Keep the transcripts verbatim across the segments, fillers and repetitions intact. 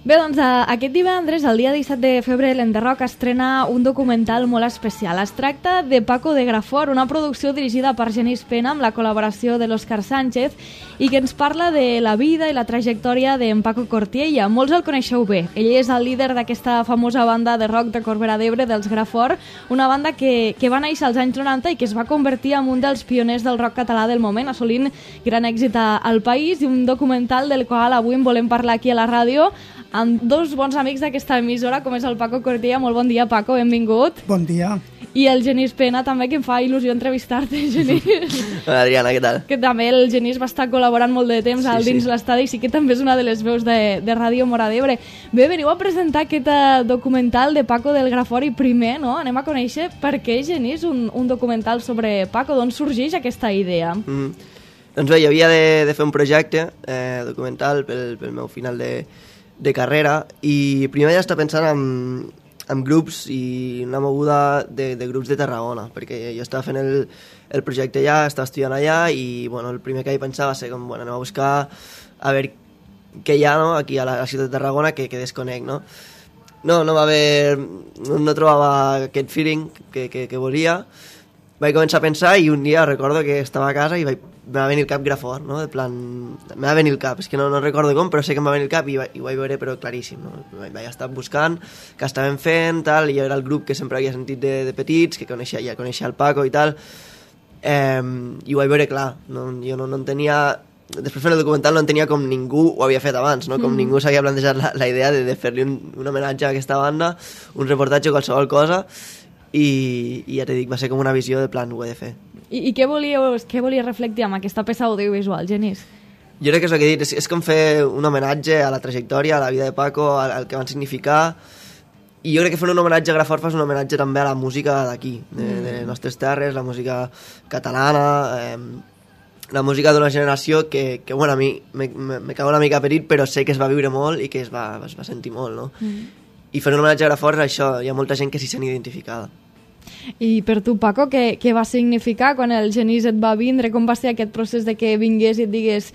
Bé, doncs aquest divendres, el dia disset de febrer, l'Enderroc estrena un documental molt especial. Es tracta de Paco de Grafor, una producció dirigida per Genís Pena amb la col·laboració de l'Òscar Sánchez i que ens parla de la vida i la trajectòria d'en Paco Cortiella. Molts el coneixeu bé. Ell és el líder d'aquesta famosa banda de rock de Corbera d'Ebre, dels Grafor, una banda que, que va néixer als anys noranta i que es va convertir en un dels pioners del rock català del moment, assolint gran èxit al país, i un documental del qual avui en volem parlar aquí a la ràdio amb dos bons amics d'aquesta emissora, com és el Paco Cortiella. Molt bon dia, Paco, benvingut. Bon dia. I el Genís Pena, també, que em fa il·lusió entrevistar-te, Genís. Hola, Adriana, què tal? Que també el Genís va estar col·laborant molt de temps sí, al dins sí. l'estadi, i sí que també és una de les veus de, de Ràdio Móra d'Ebre. Bé, veniu a presentar aquest uh, documental de Paco del Grafor i primer, no?, anem a conèixer per què, Genís, un, un documental sobre Paco, d'on sorgeix aquesta idea? Mm. Doncs bé, jo havia de, de fer un projecte eh, documental pel, pel meu final de de carrera, i primer ja estava pensant en, en grups i una moguda de, de grups de Tarragona, perquè jo estava fent el, el projecte allà, estava estudiant allà, i bueno, el primer que hi pensava va ser com, bueno, anem a buscar a veure què hi ha, no?, aquí a la, a la ciutat de Tarragona que, que desconec, no? No, no va haver... No, no trobava aquest feeling que, que, que volia. Vaig començar a pensar i un dia recordo que estava a casa i vaig, me va venir el cap Grafor, no? De plan... Me va venir el cap, és que no, no recordo com, però sé que em va venir el cap i, va, i ho vaig veure, però claríssim, no? Vaig, vaig estar buscant què estaven fent, tal, i jo era el grup que sempre havia sentit de, de petits, que coneixia, ja coneixia el Paco i tal, eh, i ho vaig veure clar, no, jo no, no en tenia... Després fent el documental no en tenia com ningú ho havia fet abans, no? Com mm. ningú s'havia plantejat la, la idea de, de fer-li un, un homenatge a aquesta banda, un reportatge o qualsevol cosa, i, i ja t'he dit, va ser com una visió de plan, ho he de fer. I, i què volies, què volies reflectir amb aquesta peça audiovisual, Genís? Jo crec que és el que he dit, és, és com fer un homenatge a la trajectòria, a la vida de Paco, al, al que van significar, i jo crec que fer un homenatge a Grafor fa un homenatge també a la música d'aquí, de, mm. de les nostres terres, la música catalana, eh, la música d'una generació que, que bueno, a mi me, me, me cago una mica perit, però sé que es va viure molt i que es va, es va sentir molt, no? Mm. I fer un homenatge a Grafor és això, hi ha molta gent que s'hi sent identificada. I per tu, Paco, què, què va significar quan el Genís et va vindre? Com va ser aquest procés de que vingués i et digués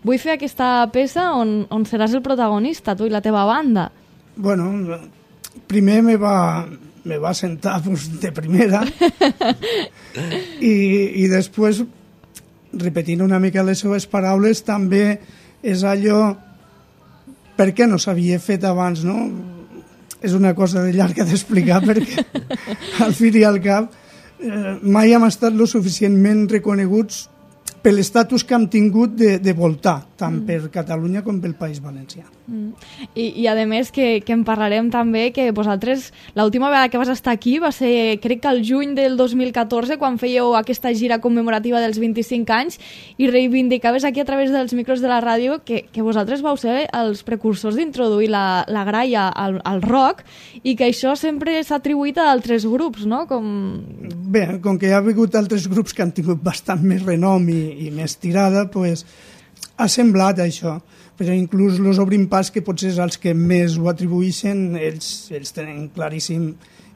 vull fer aquesta peça on, on seràs el protagonista, tu i la teva banda? Bueno, primer me va, me va sentar pues, de primera i, i després, repetint una mica les seves paraules, també és allò per què no s'havia fet abans, no? És una cosa de llarga d'explicar perquè al fi i al cap eh, mai hem estat lo suficientment reconeguts per l'estatus que hem tingut de, de voltar, tant mm. per Catalunya com pel País Valencià. Mm. I, I a més que, que en parlarem també, que vosaltres, l'última vegada que vas estar aquí va ser, crec que el juny del dos mil catorze, quan fèieu aquesta gira commemorativa dels vint-i-cinc anys, i reivindicaves aquí a través dels micros de la ràdio que, que vosaltres vau ser els precursors d'introduir la, la graia al, al rock, i que això sempre s'ha atribuït a altres grups, no? Com... Bé, com que hi ha hagut altres grups que han tingut bastant més renom i, i més tirada, pues, ha semblat això. Però inclús els Obrim Pas, que potser és els que més ho atribueixen, ells, ells tenen claríssim.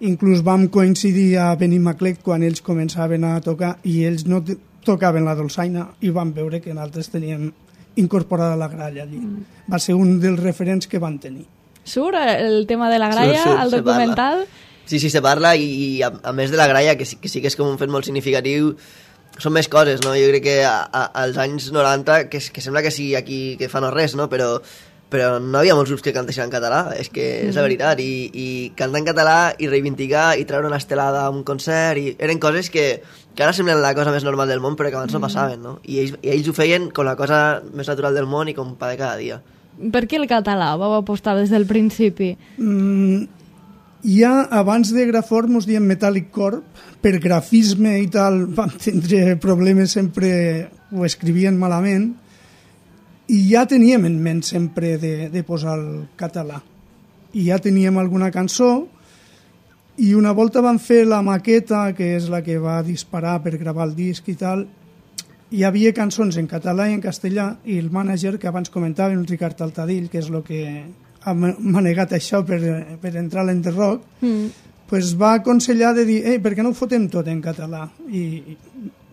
Inclús vam coincidir a Benimaclet quan ells començaven a tocar i ells no tocaven la dolçaina i vam veure que nosaltres teníem incorporada la gralla allí. Mm. Va ser un dels referents que van tenir. Surt el tema de la gralla surt, surt, al documental? Sí, sí, se parla, i, i a, a més de la gralla, que sí, que sí que és com un fet molt significatiu, són més coses, no? Jo crec que a, a, als anys noranta, que, que sembla que sigui aquí que fa no res, no? Però, però no havia molts grups que cantessin en català, és que és la veritat, i, i cantar en català i reivindicar i treure una estelada a un concert, i eren coses que, que ara semblen la cosa més normal del món, però que abans no passaven, no? I ells, i ells ho feien com la cosa més natural del món i com pa de cada dia. Per què el català vau apostar des del principi? Mm, ja abans de Grafor mos diem Metallic Corp, per grafisme i tal vam tindre problemes, sempre ho escrivien malament, i ja teníem en ment sempre de, de posar el català. I ja teníem alguna cançó, i una volta vam fer la maqueta, que és la que va disparar per gravar el disc i tal, hi havia cançons en català i en castellà, i el mànager que abans comentàvem, el Ricard Altadill, que és el que ha manegat això per, per entrar a l'Enderroc, mm. pues va aconsellar de dir, per què no ho fotem tot en català? I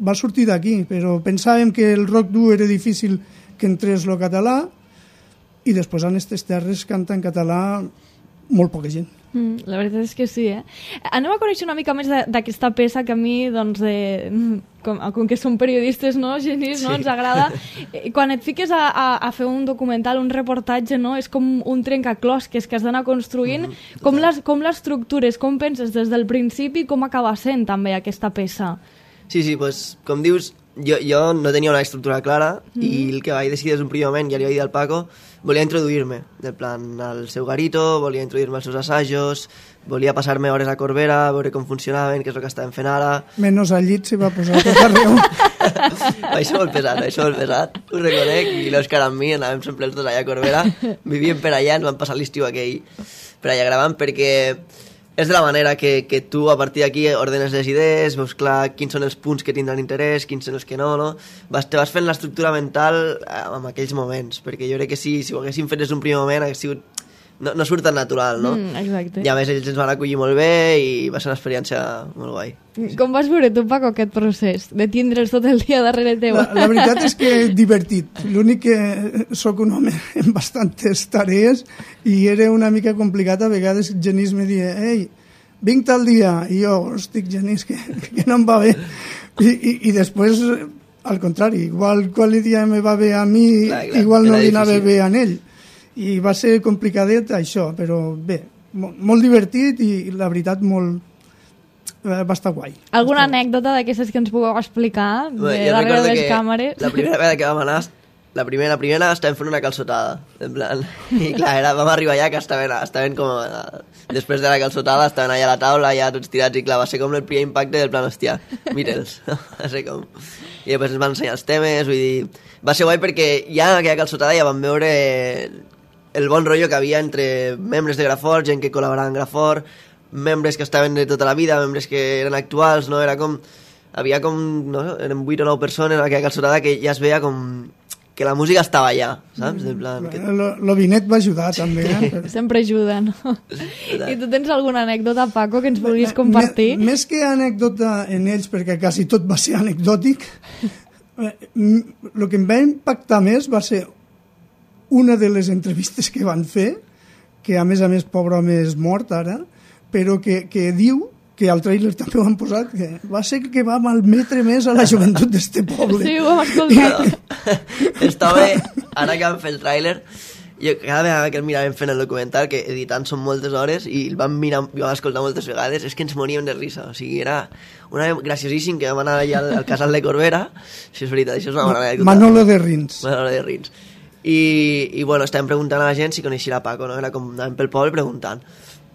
va sortir d'aquí, però pensàvem que el rock dur era difícil que entrés el català, i després en aquestes terres canta en català molt poca gent. Mm, la veritat és que sí, eh? Anem a conèixer una mica més d'aquesta peça que a mi, doncs, eh, com, com que som periodistes, no, Genís, no, ens agrada. Quan et fiques a, a, a fer un documental, un reportatge, no, és com un trencaclosques que has d'anar construint. Mm-hmm. Com les, com l'estructures, com penses des del principi, com acaba sent també aquesta peça? Sí, sí, pues, com dius, jo, jo no tenia una estructura clara mm-hmm. i el que vaig decidir des d'un primer moment, ja li vaig dir al Paco, volia introduir-me, del plan al seu garito, volia introduir-me als seus assajos, volia passar-me hores a Corbera, veure com funcionaven, què és el que estàvem fent ara... Menys al llit s'hi va posar tot arreu. Això molt pesat, això molt pesat, ho reconec, i l'Òscar amb mi anàvem sempre els dos allà a Corbera, vivíem per allà, ens vam passar l'estiu aquell per allà gravant, perquè és de la manera que, que tu a partir d'aquí ordenes les idees, veus clar quins són els punts que tindran interès, quins són els que no, no? Vas, te vas fent l'estructura mental en aquells moments, perquè jo crec que si, si ho haguéssim fet des d'un primer moment hagués sigut... No, no surt tan natural, no? Mm, exacte. I a més ells ens van acollir molt bé i va ser una experiència molt guai. Com vas veure tu, Paco, aquest procés de tindre'ls tot el dia darrere teu? La, la veritat és que és divertit. L'únic que sóc un home amb bastantes tarees i era una mica complicat. A vegades Genís me dia, ei, vinc tal dia, i jo, estic Genís, que, que no em va bé. I, i, i després, al contrari, igual qual dia me va bé a mi, clar, clar, igual no li anava bé a ell. I va ser complicadet això, però bé, molt, molt divertit i la veritat molt... va estar guai. Alguna anècdota d'aquestes que ens pugueu explicar de Bé, darrere de les càmeres? La primera vegada que vam anar, la primera, la primera estàvem fent una calçotada, en plan, i clar, era, vam arribar allà que estaven, estaven com... Després de la calçotada estaven allà a la taula, ja tots tirats, i clar, va ser com el primer impacte del plan, hòstia, mira'ls, va ser com... I després ens van ensenyar els temes, vull dir... Va ser guai perquè ja en aquella calçotada ja vam veure el bon rotllo que havia entre membres de Grafort, gent que col·laborava en Grafort, membres que estaven de tota la vida, membres que eren actuals, no? Era com... Havia com... No? Eren vuit o nou persones en aquella calçotada que ja es veia com... que la música estava allà, saps? En plan, que... Lo, lo vinet va ajudar també, eh? Però... Sempre ajuda, no? I tu tens alguna anècdota, Paco, que ens vulguis compartir? M més que anècdota en ells, perquè quasi tot va ser anecdòtic, el que em va impactar més va ser una de les entrevistes que van fer, que a més a més pobre home és mort ara, però que, que diu, que al tràiler també ho han posat, que va ser que va malmetre més a la joventut d'este poble. Sí, ho hem escoltat. Estava, ara que vam fer el tràiler, jo cada vegada que el miràvem fent el documental, que editant són moltes hores, i el vam mirar, i vam escoltar moltes vegades, és que ens moríem de risa. O sigui, era una graciosíssim que vam anar allà al, al casal de Corbera. Això és veritat, això és una bona anècdota. Manolo de Rins. Manolo de Rins. I, i bueno, estàvem preguntant a la gent si coneixia Paco, no? Era com anàvem pel poble preguntant.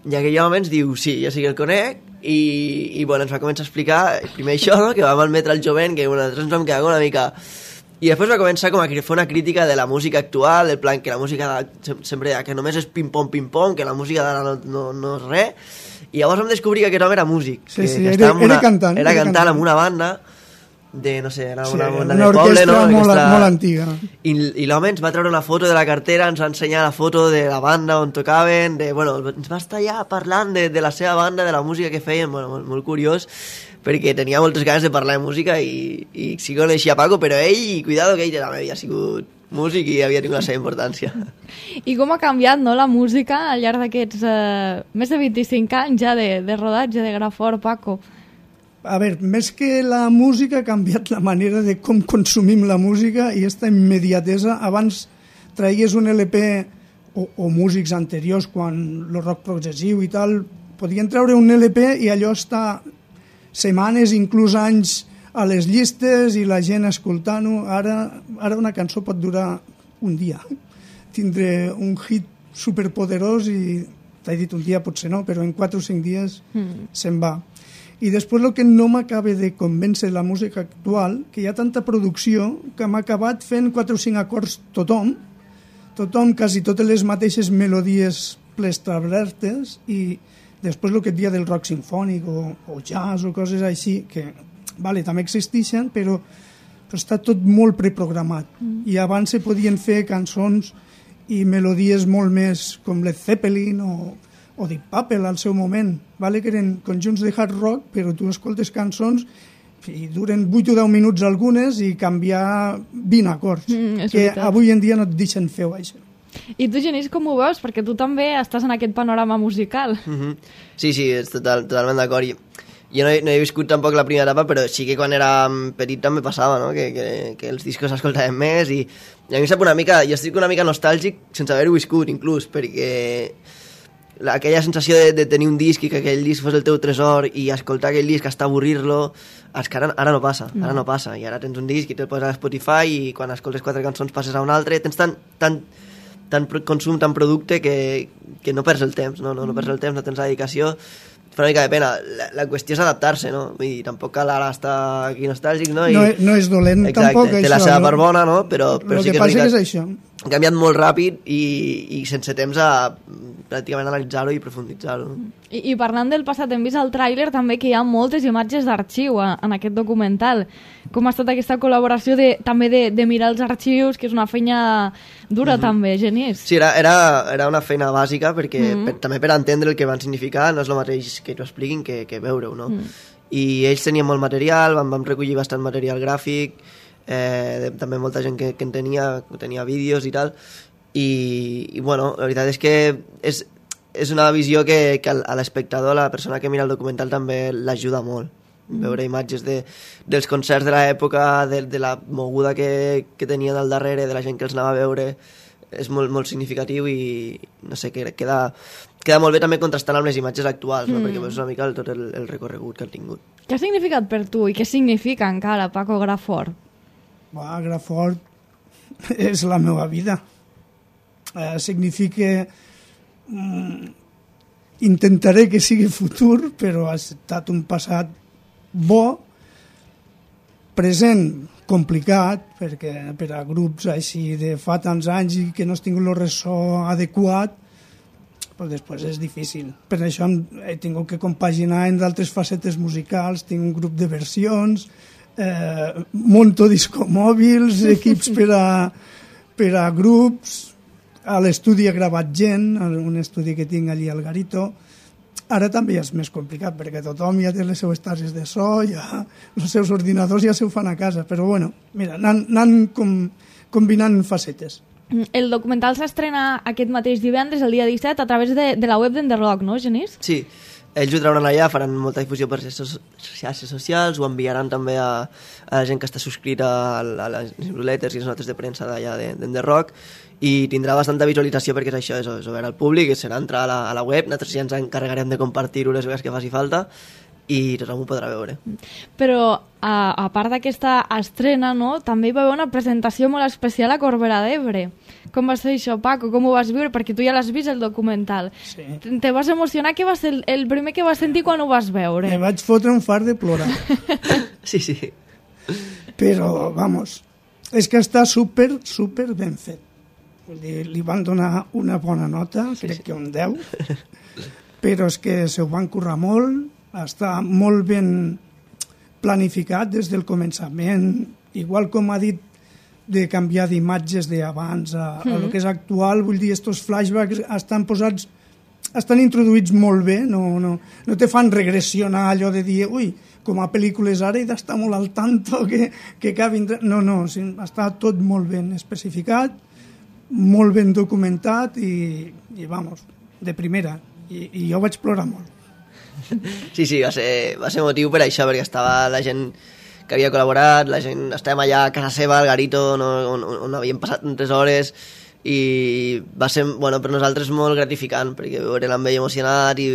I aquell home ens diu, sí, jo sí que el conec, i, i bueno, ens va començar a explicar, primer això, no? Que va malmetre el jovent, que bueno, nosaltres ens vam quedar una mica... I després va començar com a fer una crítica de la música actual, del plan que la música sempre deia que només és pim-pom, pim-pom, que la música d'ara no, no, no és res, i llavors vam descobrir que aquest home era músic. Sí, que, sí, que era, una, era cantant. Era, era cantant, cantant amb una banda de, no sé, era sí, una banda una de poble, no? Molt, orquestra... molt antiga. I, i l'home ens va treure una foto de la cartera, ens va ensenyar la foto de la banda on tocaven, de, bueno, ens va estar allà parlant de, de la seva banda, de la música que feien, bueno, molt, molt curiós, perquè tenia moltes ganes de parlar de música i, i sí que coneixia Paco, però ell, cuidado que ell també havia sigut músic i havia tingut la seva importància. I com ha canviat, no, la música al llarg d'aquests eh, més de vint-i-cinc anys ja de, de rodatge de Grafort, Paco? A veure, més que la música ha canviat la manera de com consumim la música i aquesta immediatesa. Abans traies un L P o, o músics anteriors, quan el rock progressiu i tal, podien treure un L P i allò està setmanes, inclús anys a les llistes i la gent escoltant-ho. Ara, ara una cançó pot durar un dia. Tindre un hit superpoderós i, t'he dit un dia, potser no, però en quatre o cinc dies mm. se'n va. I després el que no m'acaba de convèncer la música actual, que hi ha tanta producció que m'ha acabat fent quatre o cinc acords tothom, tothom, quasi totes les mateixes melodies plestablertes, i després el que et dia del rock sinfònic o, o jazz o coses així, que vale, també existeixen, però, però està tot molt preprogramat. Mm. I abans se podien fer cançons i melodies molt més com Led Zeppelin o, o Deep Purple al seu moment, vale, que eren conjunts de hard rock, però tu escoltes cançons i duren vuit o deu minuts algunes i canviar vint acords, mm, que veritat. Avui en dia no et deixen fer això. I tu, Genís, com ho veus? Perquè tu també estàs en aquest panorama musical. Mm-hmm. Sí, sí, és total, totalment d'acord. I jo no he, no he viscut tampoc la primera etapa, però sí que quan era petit també passava, no? Que, que, que els discos s'escoltaven més i, i a mi em sap una mica, jo estic una mica nostàlgic sense haver-ho viscut inclús, perquè la, aquella sensació de, de tenir un disc i que aquell disc fos el teu tresor i escoltar aquell disc hasta avorrir-lo, és que ara, ara no passa, no. ara no passa, i ara tens un disc i te'l poses a Spotify i quan escoltes quatre cançons passes a un altre, tens tant, tant, tant consum, tant producte que, que no perds el temps, no, no, no perds el temps, no tens la dedicació, fa una mica de pena. La, la qüestió és adaptar-se, no? Vull dir, tampoc cal ara estar aquí nostàlgic, no? I, no, no és dolent exacte, tampoc, té això. la seva no? part bona, no? Però, però el sí que, que passa és, és això. Ha canviat molt ràpid i, i sense temps a pràcticament analitzar-ho i profunditzar-ho. I, I parlant del passat, hem vist al tràiler també que hi ha moltes imatges d'arxiu en aquest documental. Com ha estat aquesta col·laboració de, també de, de mirar els arxius, que és una feina dura mm-hmm. també, Genís? Sí, era, era, era una feina bàsica perquè mm-hmm. per, també per entendre el que van significar no és el mateix que t'ho expliquin que, que veure-ho, no? Mm. I ells tenien molt material, vam, vam recollir bastant material gràfic, eh, de, també molta gent que, que en tenia, que tenia vídeos i tal, i, i bueno, la veritat és que és, és una visió que, que a l'espectador, a la persona que mira el documental també l'ajuda molt, mm. veure imatges de, dels concerts de l'època, de, de la moguda que, que tenien al darrere, de la gent que els anava a veure, és molt, molt significatiu i no sé, que queda, queda molt bé també contrastant amb les imatges actuals, no? mm. perquè veus una mica el, tot el, el recorregut que han tingut. Què ha significat per tu i què significa encara Paco Grafort? Va, Grafort és la meva vida. Eh, significa... Mm, intentaré que sigui futur, però ha estat un passat bo, present complicat, perquè per a grups així de fa tants anys i que no has tingut el ressò adequat, però després és difícil. Per això he tingut que compaginar en d'altres facetes musicals, tinc un grup de versions, eh, monto discomòbils, equips per a, per a grups, a l'estudi he gravat gent, un estudi que tinc allí al Garito. Ara també és més complicat, perquè tothom ja té les seues tases de so, ja els seus ordinadors ja se ho fan a casa, però bueno, mira, anant, anant com, combinant facetes. El documental s'estrena aquest mateix divendres, el dia disset, a través de, de la web d'Enderrock, no, Genís? Sí, ells ho trauran allà, faran molta difusió per les xarxes socials, ho enviaran també a, a la gent que està subscrita a, a les newsletters i les notes de premsa d'allà d'Enderrock, i tindrà bastanta visualització perquè és això, és, és obert al públic, serà entrar a la, a la web, nosaltres ja ens encarregarem de compartir-ho les vegades que faci falta i tothom ho podrà veure. Però a, a part d'aquesta estrena, no, també hi va haver una presentació molt especial a Corbera d'Ebre. Com va ser això, Paco? Com ho vas viure? Perquè tu ja l'has vist, el documental. Sí. Te vas emocionar? Què va ser el, el primer que vas sentir quan ho vas veure? Me vaig fotre un fart de plorar. Sí, sí. Però, vamos, és que està super, super ben fet. Vull dir, li van donar una bona nota, crec sí, sí. que un deu, però és que se ho van currar molt, està molt ben planificat des del començament, igual com ha dit de canviar d'imatges d'abans a, a lo que és actual, vull dir, estos flashbacks estan posats, estan introduïts molt bé, no, no, no te fan regressionar allò de dir, ui, com a pel·lícules ara he d'estar molt al tanto que, que acabin... No, no, sí, està tot molt ben especificat, molt ben documentat i, i vamos, de primera. I, i jo vaig plorar molt. Sí, sí, va ser, va ser motiu per això, perquè estava la gent que havia col·laborat, la gent, estàvem allà a casa seva, al Garito, on, on, on havíem passat tres hores, i va ser, bueno, per nosaltres molt gratificant, perquè veure l'ambell emocionat i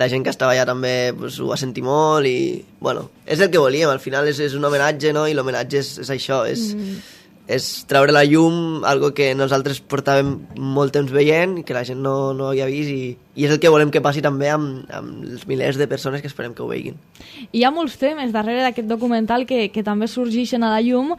la gent que estava allà també pues, ho va sentir molt i, bueno, és el que volíem, al final és, és un homenatge, no?, i l'homenatge és, és això, és... Mm. és treure la llum, algo que nosaltres portàvem molt temps veient i que la gent no, no havia vist i, i és el que volem que passi també amb, amb els milers de persones que esperem que ho veguin. Hi ha molts temes darrere d'aquest documental que, que també sorgeixen a la llum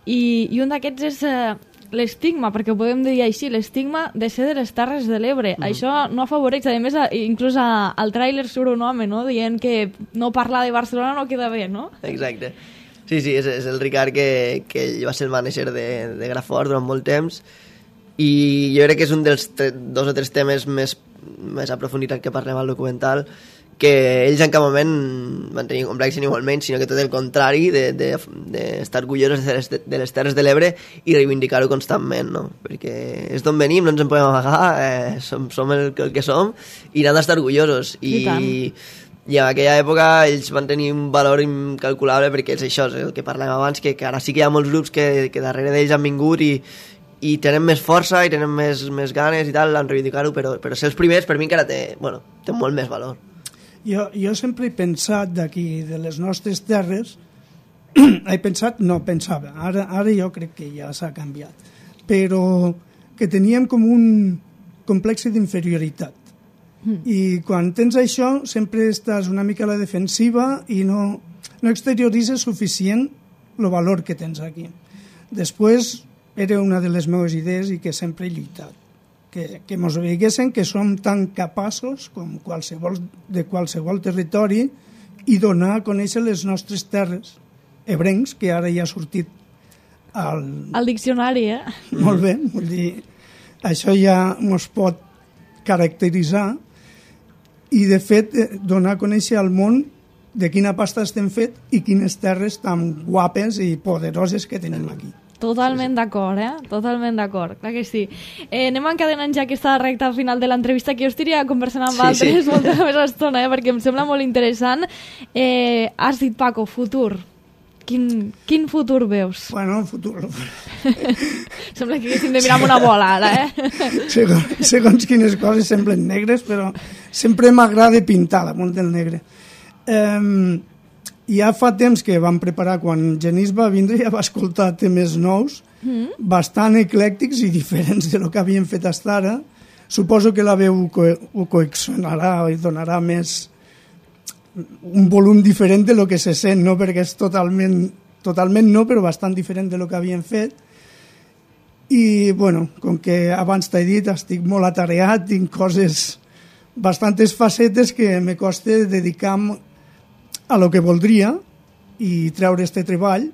i, i un d'aquests és eh, l'estigma, perquè ho podem dir així, l'estigma de ser de les Terres de l'Ebre. Mm. Això no afavoreix, a més, a, inclús a, al tràiler surt un home, no?, dient que no parlar de Barcelona no queda bé, no? Exacte. Sí, sí, és, és el Ricard que, que ell va ser el manager de, de Grafort durant molt temps i jo crec que és un dels tre, dos o tres temes més, més aprofundits que parlem al documental, que ells en cap moment van tenir complex ni molt menys, sinó que tot el contrari, d'estar de, de, orgullosos de les, de les Terres de l'Ebre i reivindicar-ho constantment, no? Perquè és d'on venim, no ens en podem amagar, eh, som, som el, el que som i n'han d'estar orgullosos. I, i en aquella època ells van tenir un valor incalculable, perquè és això, és el que parlem abans, que, que ara sí que hi ha molts grups que, que darrere d'ells han vingut i i tenen més força i tenen més, més ganes i tal en reivindicar-ho, però, però ser els primers per mi encara té, bueno, té molt més valor. Jo, jo sempre he pensat d'aquí, de les nostres terres, he pensat, no, pensava, ara, ara jo crec que ja s'ha canviat, però que teníem com un complex d'inferioritat. Mm. I quan tens això sempre estàs una mica a la defensiva i no, no exterioritzes suficient el valor que tens aquí. Després era una de les meves idees i que sempre he lluitat. Que, que mos veiguessin que som tan capaços com qualsevol, de qualsevol territori i donar a conèixer les nostres terres ebrencs, que ara ja ha sortit al... al diccionari, eh? Molt bé, vull dir, això ja mos pot caracteritzar i, de fet, donar a conèixer al món de quina pasta estem fet i quines terres tan guapes i poderoses que tenim aquí. Totalment d'acord, eh? Totalment d'acord, clar que sí. Eh, anem encadenant ja aquesta recta final de l'entrevista, que jo estiria conversant amb sí, altres sí. molta més estona, eh? Perquè em sembla molt interessant. Eh, has dit, Paco, futur. Quin, quin futur veus? Bueno, futur... Sembla que haguéssim de mirar amb una bola, ara, eh? segons, segons quines coses semblen negres, però sempre m'agrada pintar damunt del negre. Eh... Ja fa temps que vam preparar, quan Genís va vindre ja va escoltar temes nous, mm. bastant eclèctics i diferents de lo que havíem fet fins ara. Suposo que la veu co ho coexionarà i donarà més un volum diferent de lo que se sent, no? Perquè és totalment, totalment no, però bastant diferent de lo que havíem fet. I, bueno, com que abans t'he dit, estic molt atareat, tinc coses, bastantes facetes que me costa dedicar a lo que voldria i treure este treball.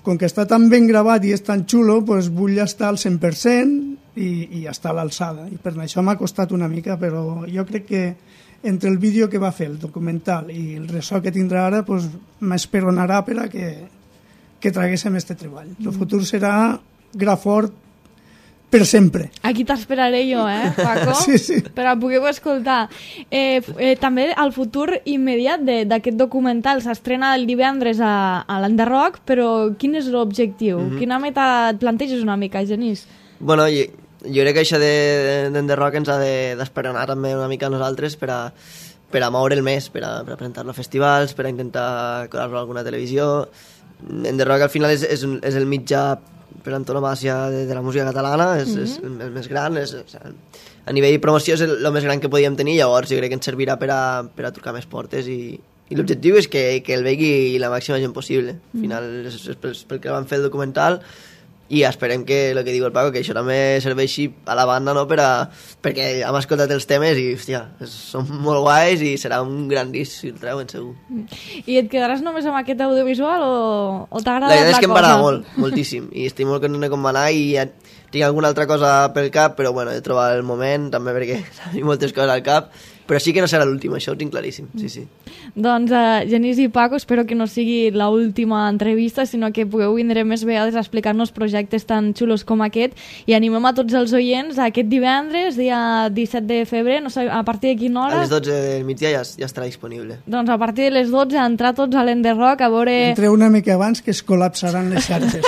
Com que està tan ben gravat i és tan xulo, pues vull estar al cent per cent i, i estar a l'alçada. I per això m'ha costat una mica, però jo crec que entre el vídeo que va fer, el documental, i el ressò que tindrà ara, pues, m'esperonarà per a que, que traguéssim este treball. El futur serà Grafort per sempre. Aquí t'esperaré jo, eh, Paco? Sí, sí. Per a poder-ho escoltar. Eh, eh, també el futur immediat d'aquest documental s'estrena el divendres a, a l'Enderrock, però quin és l'objectiu? Mm -hmm. Quina meta et planteges una mica, Genís? Bueno, jo, jo crec que això d'Enderrock ens ha d'esperonar de, també una mica a nosaltres per a, per a moure'l més, per a, per a presentar-lo a festivals, per a intentar colar-lo a alguna televisió. Enderrock al final és, és, un, és el mitjà per antonomàcia de, de la música catalana, és, mm-hmm. és el, el més gran, és, és, a nivell de promoció és el, el més gran que podíem tenir, llavors jo crec que ens servirà per a, per a trucar més portes i, i l'objectiu és que, que el vegi la màxima gent possible. Al final és, és pel, pel que van fer el documental i esperem que, el que diu el Paco, que això també serveixi a la banda, no? Per a, perquè hem escoltat els temes i, hòstia, són molt guais i serà un gran disc si el treuen, segur. I et quedaràs només amb aquest audiovisual o, o t'ha agradat la cosa? La veritat és que em va agradar molt, moltíssim, i estic molt content de com va anar i ja tinc alguna altra cosa pel cap, però bueno, he de trobar el moment també perquè tinc moltes coses al cap, però sí que no serà l'última, això ho tinc claríssim, sí, sí. Doncs, uh, Genís i Paco, espero que no sigui l'última entrevista, sinó que pugueu vindre més vegades a explicar-nos projectes tan xulos com aquest, i animem a tots els oients a aquest divendres, dia disset de febrer, no sé, a partir de quina hora? A les dotze del migdia ja, ja estarà disponible. Doncs a partir de les dotze, entrar tots a l'Enderrock a veure... Entreu una mica abans que es col·lapsaran les xarxes.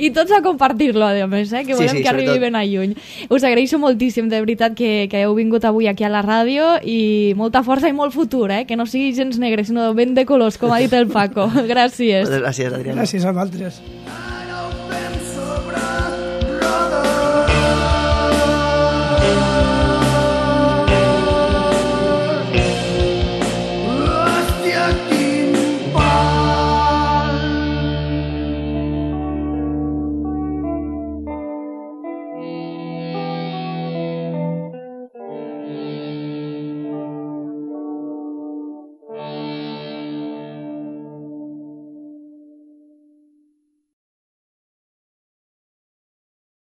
I tots a compartir-lo, a més, eh? Que volem sí, sí, que arribi ben a lluny. Us agraeixo moltíssim, de veritat, que, que heu vingut avui aquí a la ràdio i molta força i molt futur, eh? Que no sigui gens negre, sinó ben de colors, com ha dit el Paco. Gràcies. Gràcies, Adriana. Gràcies a vosaltres.